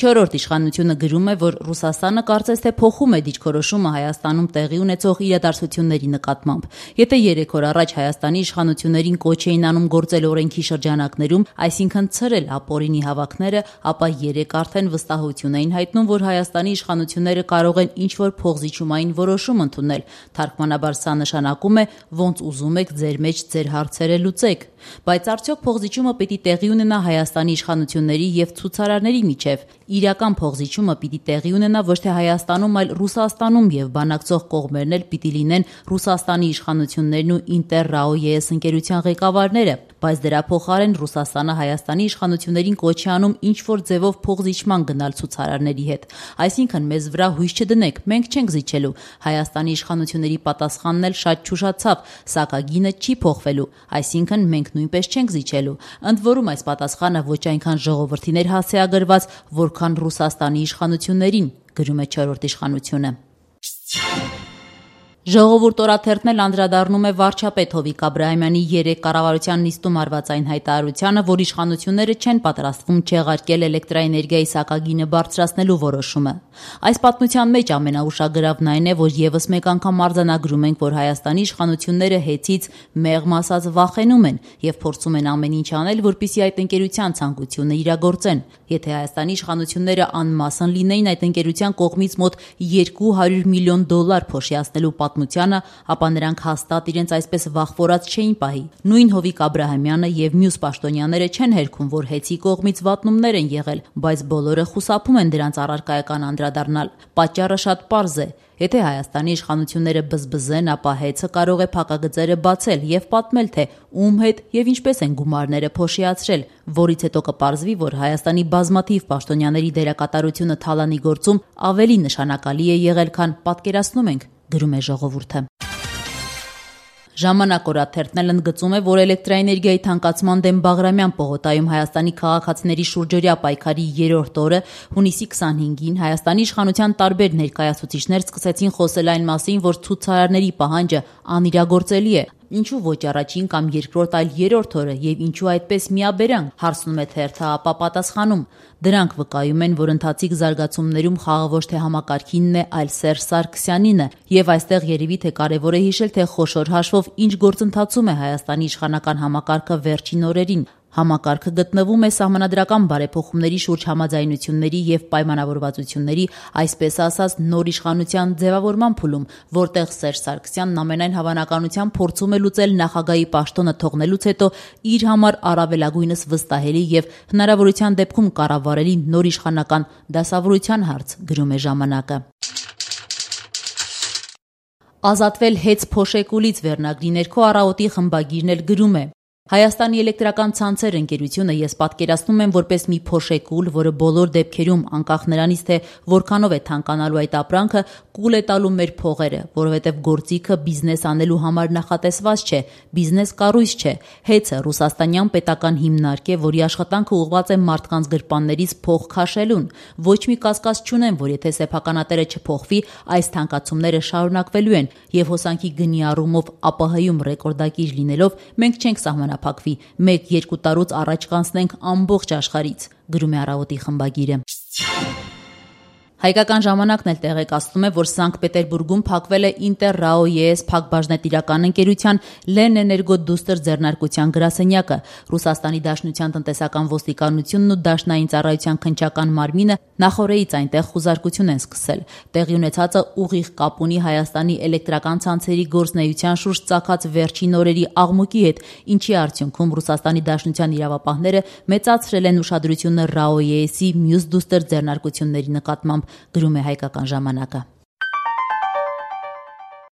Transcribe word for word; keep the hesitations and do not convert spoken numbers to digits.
չորրորդ իշխանությունը գրում է, որ Ռուսաստանը կարծես թե փոխում է դիրքորոշումը Հայաստանում տեղի ունեցող իրադարձությունների նկատմամբ։ Եթե երեք օր առաջ Հայաստանի իշխանություններին կոչ էին անում գործել օրենքի շրջանակներում, այսինքն ցրել ապօրինի հավաքները, ապա երեք արդեն վստահություն էին հայտնում, որ Հայաստանի իշխանությունները կարող են ինչ-որ փոխզիջումային որոշում ընդունել։ Թարգմանաբար սա նշանակում է, ոնց ուզում եք ձեր մեջ ձեր հարցերը լուծեք։ Բայց արդյոք փոխզիջումը պիտի տեղի ունենա Հայաստանի իշխանությունների եւ ցուցարարների միջև։ Իրական փոխզիջումը պիտի տեղի ունենա ոչ թե Հայաստանում, այլ Ռուսաստանում եւ բանակցող կողմերն էլ պիտի լինեն Ռուսաստանի իշխանություններն ու Ինտեր-ՌԱՕ-ԵՍ ընկերության ղեկավարները, բայց դրա փոխարեն Ռուսաստանը Հայաստանի իշխանություններին կոչ է անում ինչ-որ ձևով փոխզիջման գնալ ցուցարարների հետ։ Այսինքն մեզ վրա հույս չդնեք, մենք չենք զիջելու։ Հայաստանի իշխանությունների պատասխանն էլ շատ չուշացավ, սակագինը չի փոխվելու, այսինքն մենք նույնպես չենք զիջելու։ Ընդ որում այս պատասխանը ոչ այնքան ժողովրդին էր հասցեագրված, որքան Ռուսաստանի իշխանություններին, գրում է չորրորդ իշխանությունը։ Ժողովուրդ օրաթերթն էլ անդրադառնում է վարչապետ Հովիկ Աբրահամյանի երեք կառավարության նիստում արված այն հայտարարությանը, որ իշխանությունները չեն պատրաստվում չեղարկել էլեկտրաէներգիայի սակագինը բարձրացնելու որոշումը։ Այս պատմության մեջ ամենաուշագրավն այն է, որ եւս մեկ անգամ արձանագրում ենք, որ Հայաստանի իշխանությունները հեծից մեղմ ասած վախենում են եւ փորձում են ամեն ինչ անել, որպեսզի այդ ընկերության ցանկությունը իրագործեն։ Եթե Հայաստանի իշխանությունները անմասն լինեին այդ ընկերության կողմից մոտ երկու հարյուր միլիոն դոլար փոշիացնելու պատմությանը, ապա նրանք հաստատ իրենց այսպես վախվորած չէին պահի։ Նույն Հովիկ Աբրահամյանը եւ մյուս պաշտոնյաները չեն հերքում, որ հեծի կողմից վատնումներ են եղել, բայց բոլորը խուսափում են դրանց առարկայական անդրադառնալ։ Պատճառը շատ պարզ է։ Եթե Հայաստանի իշխանությունները բզբզեն, ապա հեծը կարող է փակագծերը բացել եւ պատմել, թե ում հետ եւ ինչպես են գումարները փոշիացրել, որից հետո կպարզվի, որ Հայաստանի բազմաթիվ պաշտոնյաների դերակատարությունը թալանի գործում ավելի նշանակալի է եղել, քան պատկերացնում ենք, գրում է ժողովուրդը։ Ժամանակ օրաթերթն էլ ընդգծում է, որ էլեկտրաէներգիայի թանկացման դեմ Բաղրամյան պողոտայում Հայաստանի քաղաքացիների շուրջօրյա պայքարի երրորդ օրը հունիսի քսանհինգին Հայաստանի իշխանության տարբեր ներկայացուցիչներ սկսեցին խոսել այն մասին, որ ցուցարարների պահանջը անիրագործելի է։ Ինչու ոչ առաջին կամ երկրորդ, այլ երրորդ օրը եւ ինչու այդպես միաբերան, հարցնում է թերթը, ապա պատասխանում։ Դրանք վկայում են, որ ընթացիկ զարգացումներում խաղը ոչ թե համակարգինն է, այլ Սերժ Սարգսյանինը, եւ այստեղ երևի թե կարեւոր է հիշել, թե խոշոր հաշվով ինչ գործընթացում է Հայաստանի իշխանական համակարգը վերջին օրերին։ Համակարգը գտնվում է սահմանադրական բարեփոխումների շուրջ համաձայնությունների եւ պայմանավորվածությունների, այսպես ասած, նոր իշխանության ձևավորման փուլում, որտեղ Սերժ Սարգսյանն ամենայն հավանականությամբ փորձում է լուծել նախագահի պաշտոնը թողնելուց հետո իր համար առավելագույնս վստահելի եւ հնարավորության դեպքում կառավարելի նոր իշխանական դասավորության հարց, գրում է ժամանակը։ Ազատվել հեծ փոշեկուլից վերնագրի ներքո Առավոտի խմբագիրն էլ գրում է. Հայաստանի էլեկտրական ցանցեր ընկերությունը ես պատկերացնում եմ որպես մի փոշեկուլ, որը բոլոր դեպքերում, անկախ նրանից, թե որքանով է թանկանալու այդ ապրանքը, կուլ է տալու մեր փողերը, որովհետև գործիքը բիզնես անելու համար նախատեսված չէ, բիզնես կառույց չէ։ Հեծը ռուսաստանյան պետական հիմնարկ է, որի աշխատանքը ուղղված է մարդկանց գրպաններից փող քաշելուն։ Ոչ մի կասկած չունեմ, որ եթե սեփականատերը չփոխվի, այս թանկացումները շարունակվելու են, եւ հոսանքի գնի առումով ԱՊՀ-ում ռեկորդակիր լինելով մենք չենք սահմանափակվի, մեկ-երկու տարուց առաջ կանցնենք ամբողջ աշխարհից, գրում է Առավոտի խմբագիրը։ Հայկական ժամանակն էլ տեղեկացնում է, որ Սանկտ Պետերբուրգում փակվել է Ինտեր-ՌԱՕ-ԵՍ փակbaşնետիրական ընկերության Լենէներգո դուստր ձեռնարկության գրասենյակը։ Ռուսաստանի Դաշնության տնտեսական ոստիկանությունն ու Դաշնային ծառայության քննչական մարմինը նախօրեից այնտեղ խուզարկություն են սկսել։ Տեղի ունեցածը ուղիղ կապ ունի Հայաստանի էլեկտրական ցանցերի գործունեության շուրջ ծագած վերջին օրերի աղմուկի հետ, ինչի արդյունքում Ռուսաստանի Դաշնության իրավապահները մեծացրել են ուշադրությունը ՌԱՕ-ԵՍ-ի մյուս դուստր ձեռնարկությունների նկատմամբ, գրում է Հայկական ժամանակը։